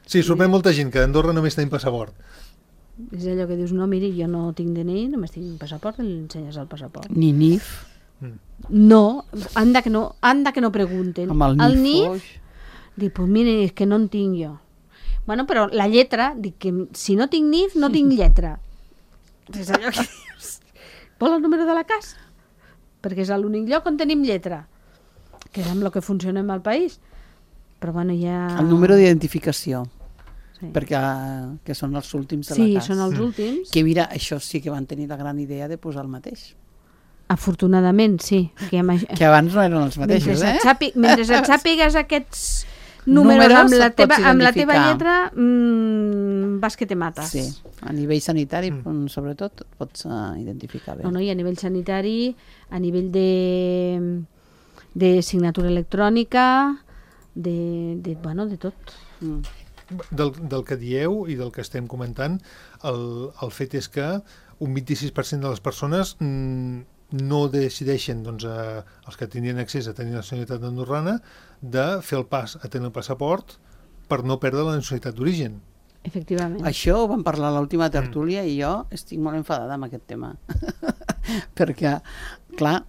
sí, sorprèn molta gent que a Andorra només tenim passaport. És allò que dius, no, miri, jo no tinc DNI, només tinc passaport, i li ensenyes el passaport. Ni NIF. No, anda que no pregunten. Amb el NIF. Dic, pues mire, és que no en tinc jo. Bueno, però la lletra, dic que si no tinc NIF, no tinc lletra. És allò que dius, vol el número de la casa? Perquè és l'únic lloc on tenim lletra, que és amb el que funcionem al país. Però bueno, ja... El número d'identificació. Sí. Perquè que són els últims de la casa. Sí, són els últims. Que mira, això sí que van tenir la gran idea de posar el mateix. Afortunadament, sí. Que abans no eren els mateixos, mentre et sàpigues aquests números amb la teva lletra, vas que te mates. Sí, a nivell sanitari, sobretot, et pots identificar bé. No, i a nivell sanitari, a nivell de signatura electrònica, de tot. Del que dieu i del que estem comentant, el fet és que un 26% de les persones no decideixen, doncs, els que tindrien accés a tenir la nacionalitat andorrana, de fer el pas a tenir el passaport per no perdre la nacionalitat d'origen. Efectivament. Això ho vam parlar a l'última tertúlia i jo estic molt enfadada amb aquest tema. Perquè, clar,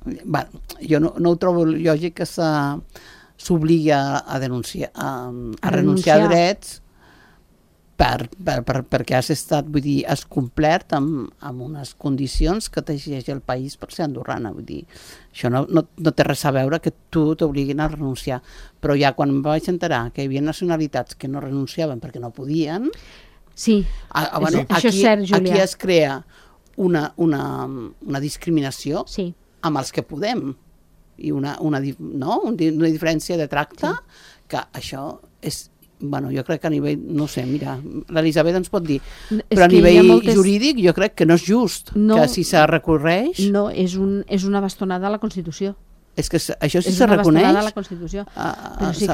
jo no ho trobo lògic que s'obligui a denunciar, a renunciar a drets perquè has estat, vull dir, has complert amb unes condicions que t'exigeix el país per ser andorrana, vull dir, això no té res a veure que tu t'obliguin a renunciar, però ja quan em vaig enterar que hi havia nacionalitats que no renunciaven perquè no podien, sí, bueno, això és cert, Júlia. Aquí es crea una discriminació amb els que podem i una diferència de tracte que això és... Bueno, jo crec que a nivell, no sé, mira, l'Elisabet ens pot dir, però a nivell jurídic jo crec que no és just, que si se recorreix... No, és una bastonada a la Constitució. És que això sí se reconeix. És una bastonada a la Constitució.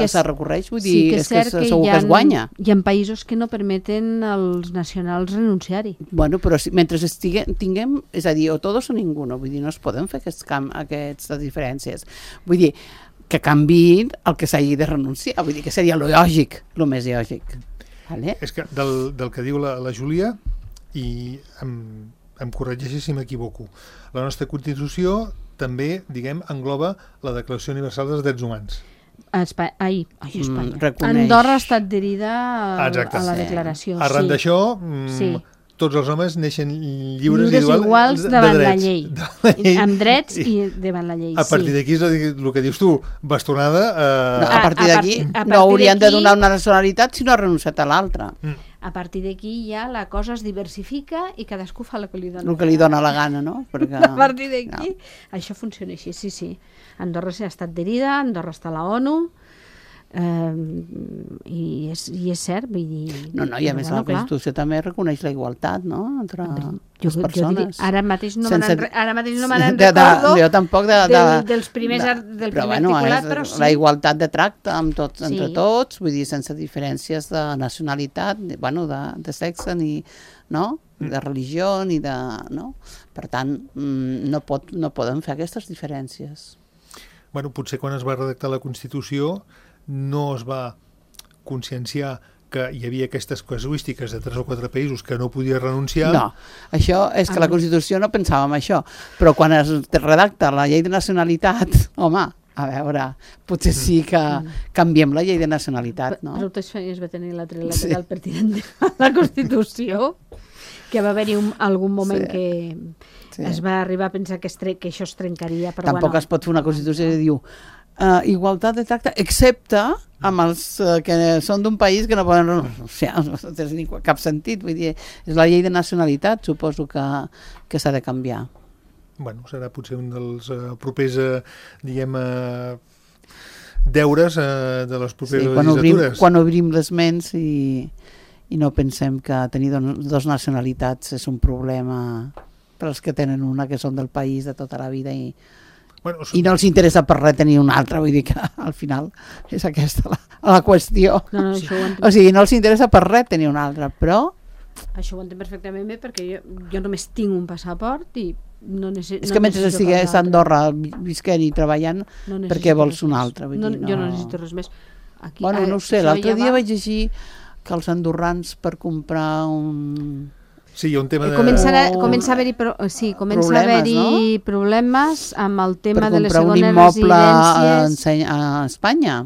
Se recorreix, vull dir, és que segur que es guanya. Hi ha països que no permeten als nacionals renunciar-hi. Bueno, però mentre tinguem, és a dir, o tots o ningú, vull dir, no es poden fer aquestes diferències. Vull dir, que canviïn el que s'hagi de renunciar, vull dir que seria lo lògic, lo més lògic. Vale? És que del que diu la Júlia, i em corregeixi si m'equivoco, la nostra Constitució també, diguem, engloba la Declaració Universal dels Drets Humans. Espanya. Andorra ha estat adherida a la declaració. Arran d'això, tots els homes neixen lliures iguals davant la llei. Amb drets i davant la llei. A partir d'aquí és el que dius tu, bastonada... A partir d'aquí no haurien de donar una nacionalitat si no ha renunciat a l'altra. A partir d'aquí ja la cosa es diversifica i cadascú fa el que li dona. El que li dona la gana, no? Perquè, a partir d'aquí això funciona així, sí. Andorra s'ha estat adherida, Andorra està a la ONU, i és cert, vull dir... No, i a més la Constitució també reconeix la igualtat, no?, entre les persones. Ara mateix no me n'en recordo jo tampoc del primer articulat, però sí. La igualtat de tracte entre tots, vull dir, sense diferències de nacionalitat, de sexe, ni de religió, ni de... Per tant, no poden fer aquestes diferències. Bueno, potser quan es va redactar la Constitució no es va conscienciar que hi havia aquestes casuístiques de 3 o 4 països que no podia renunciar. No, això és que la Constitució no pensava en això, però quan es redacta la llei de nacionalitat, home, a veure, potser sí que canviem la llei de nacionalitat, no? Però totes feines va tenir la trilateral pertinent a la Constitució, que va haver-hi algun moment que es va arribar a pensar que això es trencaria, però tampoc es pot fer una Constitució que diu igualtat de tracte, excepte amb els que són d'un país que no poden... O sigui, no té cap sentit, vull dir, és la llei de nacionalitat, suposo que s'ha de canviar. Bueno, serà potser un dels propers, diguem, deures de les properes legislatures. Quan obrim les ments i no pensem que tenir dos nacionalitats és un problema per als que tenen una, que són del país de tota la vida i no els interessa per res tenir una altra, vull dir que al final és aquesta la qüestió. No, o sigui, no els interessa per res tenir una altra, però... Això ho entenc perfectament bé perquè jo només tinc un passaport i és que mentre estigués a Andorra visquent i treballant, per què vols un altre? Jo no necessito res més. Bueno, no ho sé, l'altre dia vaig llegir que els andorrans per comprar un... Sí, hi ha un tema de... Comença a haver-hi problemes amb el tema de les segones residències. Per comprar un immoble a Espanya.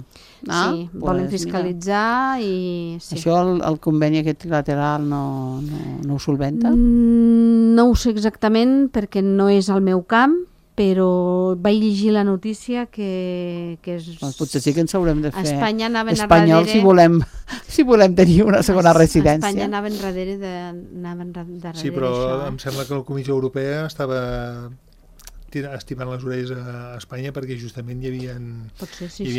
Sí, volen fiscalitzar i... Això el conveni aquest trilateral no ho solventa? No ho sé exactament perquè no és el meu camp, però vaig llegir la notícia que potser sí que ens haurem de fer espanyols si volem tenir una segona residència. Espanya anaven darrere d'això. Sí, però em sembla que la Comissió Europea estava estimant les orelles a Espanya perquè justament hi havia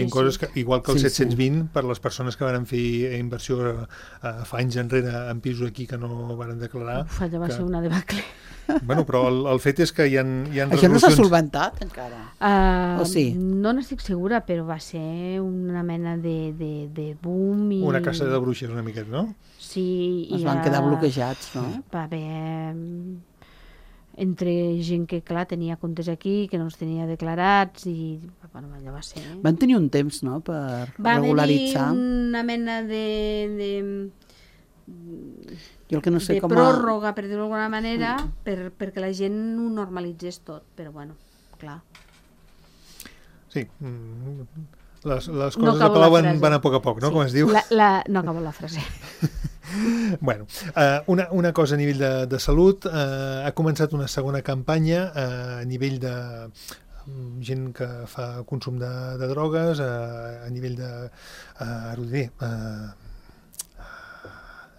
coses que, igual que el 720 per les persones que van fer inversió fa anys enrere en pisos aquí que no van declarar. Allò va ser una debacle. Bueno, però el fet és que hi ha resolucions... Això no s'ha solventat encara? O sí? No n'estic segura, però va ser una mena de boom i... Una caça de bruixes una miqueta, no? Sí. Es van quedar bloquejats, no? Va haver... entre gent que, clar, tenia comptes aquí, que no els tenia declarats i, bueno, allò va ser... Van tenir un temps, no?, per regularitzar. Va haver una mena de jo el que no sé com pròrroga, per dir-ho d'alguna manera, perquè la gent ho normalitzés tot, però, bueno, clar. Sí, les coses de Palau van a poc, no?, com es diu. No acabo la frase. Bueno, una cosa a nivell de salut, ha començat una segona campanya a nivell de gent que fa consum de drogues, a nivell de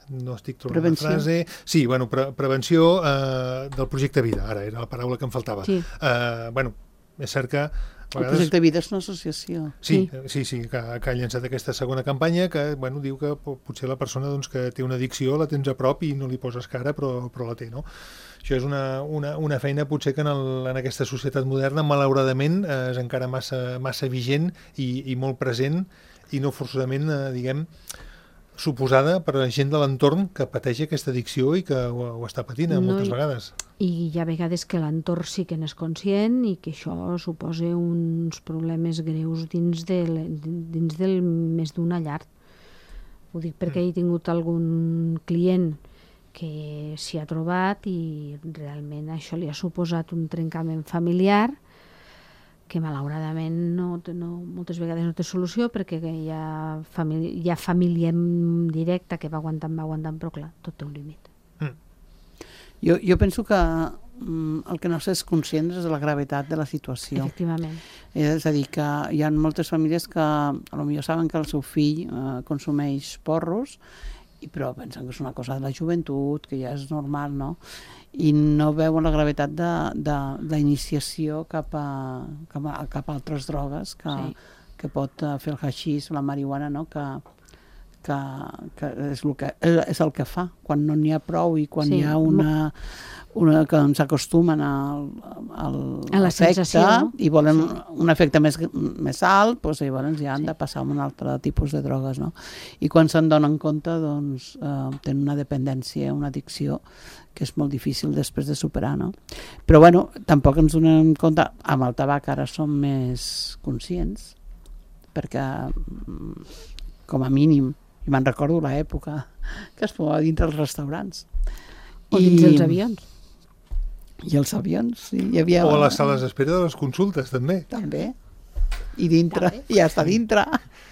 no estic trobant prevenció. La frase. Sí, bueno, prevenció del projecte Vida, ara era la paraula que em faltava. Sí. Bueno, és cert que el projecte Vida és una associació. Sí, que ha llançat aquesta segona campanya que, bueno, diu que potser la persona doncs, que té una addicció la tens a prop i no li poses cara, però la té, no? Això és una feina potser que en aquesta societat moderna, malauradament, és encara massa vigent i molt present i no forçosament, diguem, suposada per la gent de l'entorn que pateix aquesta addicció i que ho està patint moltes vegades. I hi ha vegades que l'entorn sí que n'és conscient i que això suposa uns problemes greus dins del més d'una llar. Ho dic perquè he tingut algun client que s'hi ha trobat i realment això li ha suposat un trencament familiar que malauradament moltes vegades no té solució perquè hi ha família directa que va aguantant, però clar, tot té un límit. Jo penso que el que no s'és conscient és de la gravetat de la situació. Efectivament. És a dir, que hi ha moltes famílies que potser saben que el seu fill consumeix porros, però pensen que és una cosa de la joventut, que ja és normal, no? I no veuen la gravetat de iniciació cap a altres drogues que pot fer el haixís, la marihuana, no? Que és el que fa quan no n'hi ha prou i quan hi ha una que ens acostumen a l'efecte i volen un efecte més alt, doncs llavors ja han de passar a un altre tipus de drogues, no? I quan se'n donen compte doncs tenen una dependència, una addicció que és molt difícil després de superar, no? Però bueno, tampoc ens donem compte, amb el tabac ara som més conscients perquè com a mínim i me'n recordo l'època que es fumava dintre els restaurants. O dins els avions. I els avions, sí. Hi havia... O a les sales d'espera de les consultes, també. També. i dintre, També. ja està dintre.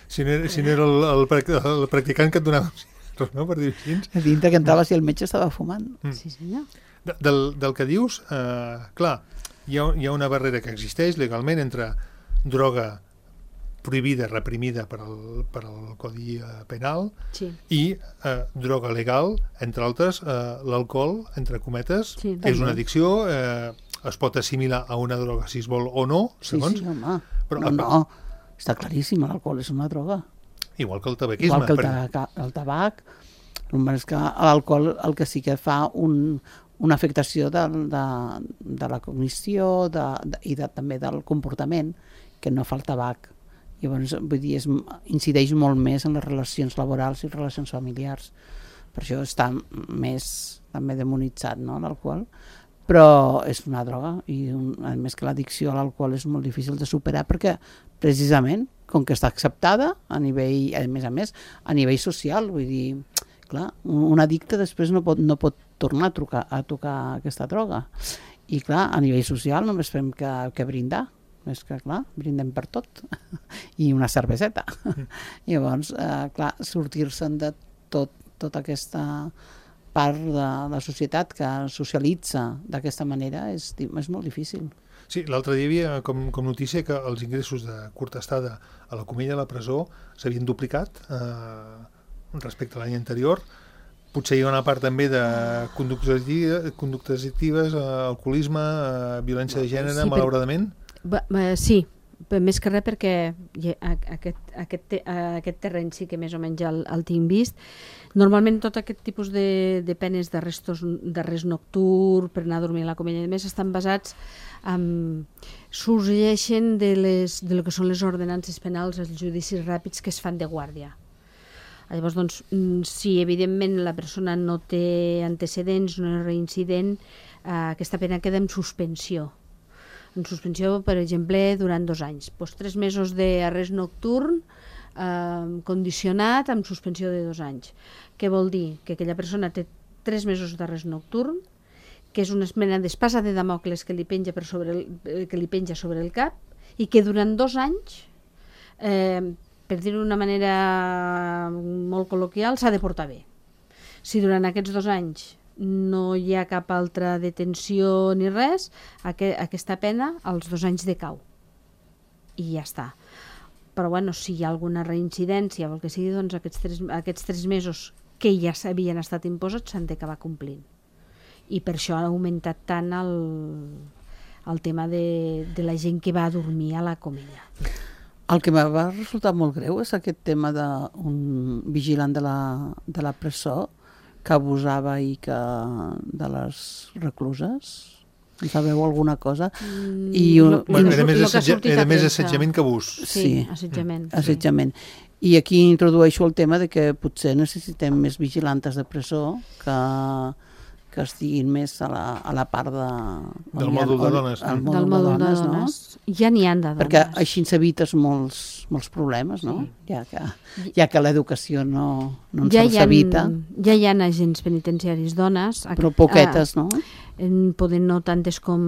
Si no era el practicant que et donava no, per dir així. A dintre que entrava si el metge estava fumant. Sí, senyor. Del que dius, clar, hi ha una barrera que existeix legalment entre droga prohibida, reprimida per al Codi Penal Sí. i droga legal, entre altres, l'alcohol, entre cometes, Sí, és una addicció, es pot assimilar a una droga si es vol o no, segons, Sí, home. Però no, està claríssim, l'alcohol és una droga. igual que el tabaquisme. Igual que el tabac, només que l'alcohol el que sí que fa una afectació de la cognició i també del comportament, que no fa el tabac. Llavors, vull dir, incideix molt més en les relacions laborals i relacions familiars. Per això està més també demonitzat, no, l'alcohol. Però és una droga i a més que l'addicció a l'alcohol és molt difícil de superar perquè precisament com que està acceptada a més, a nivell social, vull dir, clar, un addicte després no pot tornar a tocar aquesta droga i clar, a nivell social només fem que brindar, és que clar, brindem per tot i una cerveseta. Llavors, clar, sortir-se'n de tota aquesta part de la societat que socialitza d'aquesta manera és molt difícil. Sí, l'altre dia hi havia com notícia que els ingressos de curta estada a la Comella de la presó s'havien duplicat respecte a l'any anterior. Potser hi ha una part també de conductes addictives, alcoholisme, violència de gènere, malauradament. Sí, més que res perquè aquest terreny sí que més o menys el tinc vist. Normalment tot aquest tipus de penes d'arrest nocturn, per anar a dormir a la Comella i més, estan basats sorgeixen de lo que són les ordenances penals, els judicis ràpids que es fan de guàrdia. Llavors, doncs, si evidentment la persona no té antecedents, no és reincident, aquesta pena queda en suspensió. En suspensió, per exemple, durant 2 anys. 3 mesos d'arrest nocturn condicionat amb suspensió de 2 anys. Què vol dir? Que aquella persona té 3 mesos d'arrest nocturn, que és una mena d'espasa de Damocles que li penja sobre el cap i que durant 2 anys, per dir-ho d'una manera molt col·loquial, s'ha de portar bé. Si durant aquests 2 anys no hi ha cap altra detenció ni res, aquesta pena als 2 anys decau i ja està. Però bueno, si hi ha alguna reincidència o el que sigui, doncs aquests 3 mesos que ja s'havien estat imposats s'han d'acabar complint, i per això ha augmentat tant el tema de la gent que va a dormir a la Comella. El que m'ha resultat molt greu és aquest tema d'un vigilant de la presó que abusava de les recluses. En sabeu alguna cosa? Era més assetjament que abús. Sí, assetjament. I aquí introdueixo el tema de que potser necessitem més vigilantes de presó que estiguin més a la part del mòdul de dones. Del mòdul de dones. Ja n'hi ha de dones. Perquè així s'evites molts problemes, no? Ja que l'educació no ens evita. Ja hi ha agents penitenciaris dones. Però poquetes, no? Poden no tantes com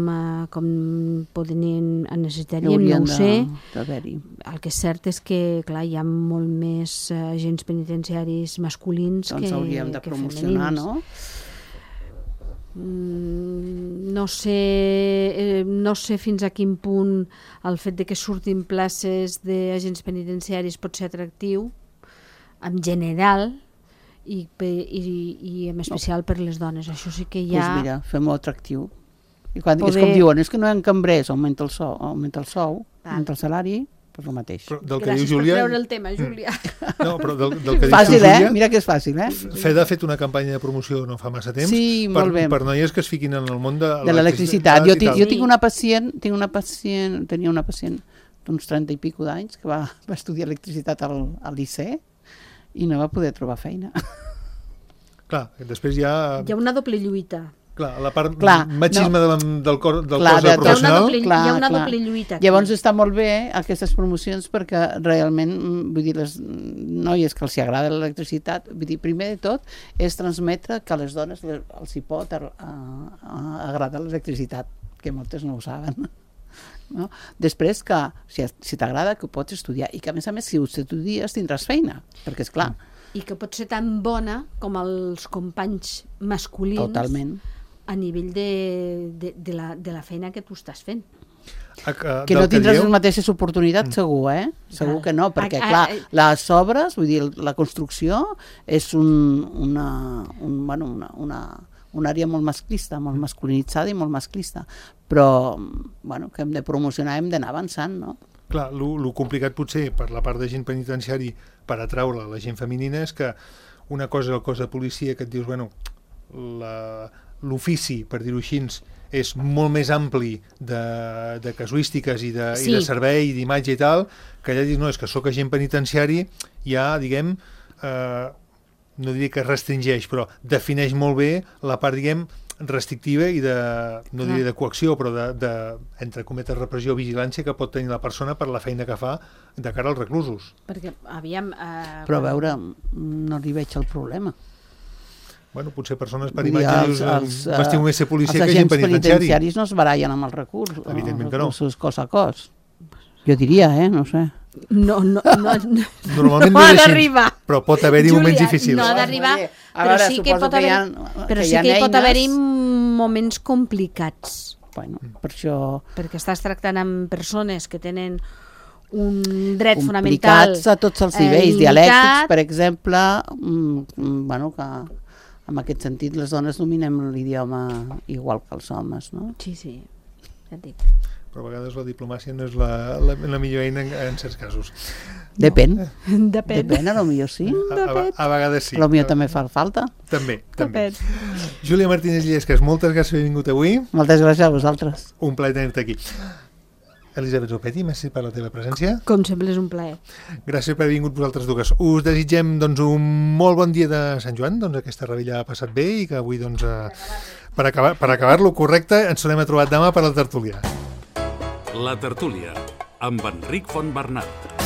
necessitaríem, no ho sé. El que és cert és que, clar, hi ha molt més agents penitenciaris masculins que femenins. Doncs hauríem de promocionar, no? No sé fins a quin punt el fet de que surtin places d'agents penitenciaris pot ser atractiu en general i en especial per les dones. Això sí que hi ha... Doncs mira, fem-ho atractiu. És com diuen, és que no hi ha cambrers, augmenta el sou, augmenta el salari, doncs el mateix. Gràcies per treure el tema, Júlia. No, però del que dius fàcil, tu, Júlia... Mira que és fàcil, FED ha fet una campanya de promoció no fa massa temps per noies que es fiquin en el món de l'electricitat. Jo tinc una pacient, tenia una pacient d'uns 30 i pico d'anys que va estudiar electricitat al Liceu i no va poder trobar feina. Clar, després hi ha una doble lluita. Clar, la part machisme del cos professional. Hi ha una doble lluita. Llavors està molt bé aquestes promocions perquè realment, vull dir, les noies que els agrada l'electricitat, vull dir, primer de tot és transmetre que a les dones els hi pot agradar l'electricitat, que moltes no ho saben. No? Després que, si t'agrada, que ho pots estudiar i que, a més, si ho estudies tindràs feina, perquè és clar. I que pot ser tan bona com els companys masculins. Totalment. A nivell de la feina que tu estàs fent. Que no tindràs les mateixes oportunitats, segur, Segur que no, perquè, clar, les obres, vull dir, la construcció és una àrea molt masclista, molt masculinitzada i molt masclista, però, bueno, que hem de promocionar, hem d'anar avançant, no? Clar, el complicat potser per la part de gent penitenciari per atraure la gent femenina és que una cosa és el cos de policia que et dius, bueno, l'ofici, per dir-ho així, és molt més ampli de casuístiques i de servei, d'imatge i tal, que allà dius, no, és que sóc agent penitenciari, ja, diguem, no diria que restringeix, però defineix molt bé la part, diguem, restrictiva i no diria de coacció, però entre cometes repressió o vigilància que pot tenir la persona per la feina que fa de cara als reclusos. Perquè, aviam... Però a veure, no li veig el problema. Bueno, potser persones per imatge m'estiu més ser policia que gent penitenciari. Els agents penitenciaris no es barallen amb els recursos. Evidentment que no. Els recursos cos a cos. Jo diria, no sé. No normalment no ha d'arribar. Però pot haver-hi moments difícils. No ha d'arribar, però sí que pot haver-hi moments complicats. Bueno, per això... Perquè estàs tractant amb persones que tenen un dret fonamental complicats a tots els nivells, dialèctics, per exemple, bueno, que en aquest sentit les dones dominem l'idioma igual que els homes, no? Sí, ja et dic. Però a vegades la diplomàcia no és la millor eina en certs casos. Depèn, a lo millor sí. A vegades sí. A lo millor també fa falta. També. Júlia Martínez Illescas, moltes gràcies per haver vingut avui. Moltes gràcies a vosaltres. Un plaer tenir-te aquí. Elisabet Zopetti, merci per la teva presència. Com sempre és un plaer. Gràcies per haver vingut vosaltres dues. Us desitgem doncs, un molt bon dia de Sant Joan, doncs aquesta rebella ha passat bé i que avui, doncs, per acabar-lo correcte, ens tornem a trobar demà per la tertúlia. La tertúlia, amb Enric Fontbernat.